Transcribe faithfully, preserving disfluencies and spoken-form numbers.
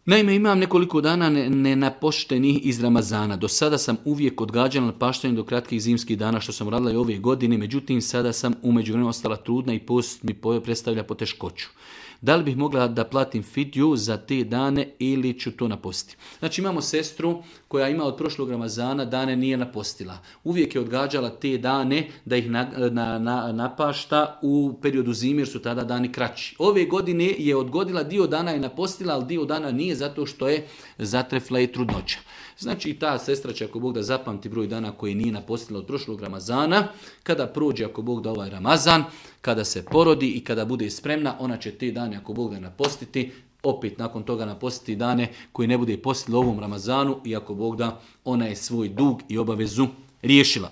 Naime, imam nekoliko dana nenapoštenih iz Ramazana. Do sada sam uvijek odgađala napaštanje do kratkih zimskih dana, što sam radila i ove godine, međutim sada sam u međuvremenu ostala trudna i post mi predstavlja poteškoću. Da li bih mogla da platim fidju za te dane ili ću to napostiti? Znači imamo sestru koja ima od prošlog Ramazana dane nije napostila. Uvijek je odgađala te dane da ih na, na, na, napašta u periodu zime jer su tada dani kraći. Ove godine je odgodila, dio dana je napostila, ali dio dana nije zato što je zatrefla i trudnoća. Znači i ta sestra će ako Bog da zapamti broj dana koji nije napostila od prošlog Ramazana, kada prođe ako Bog da ovaj Ramazan, kada se porodi i kada bude spremna, ona će te dane ako Bog da napostiti, opet nakon toga napostiti dane koji ne bude postila ovom Ramazanu i ako Bog da ona je svoj dug i obavezu riješila.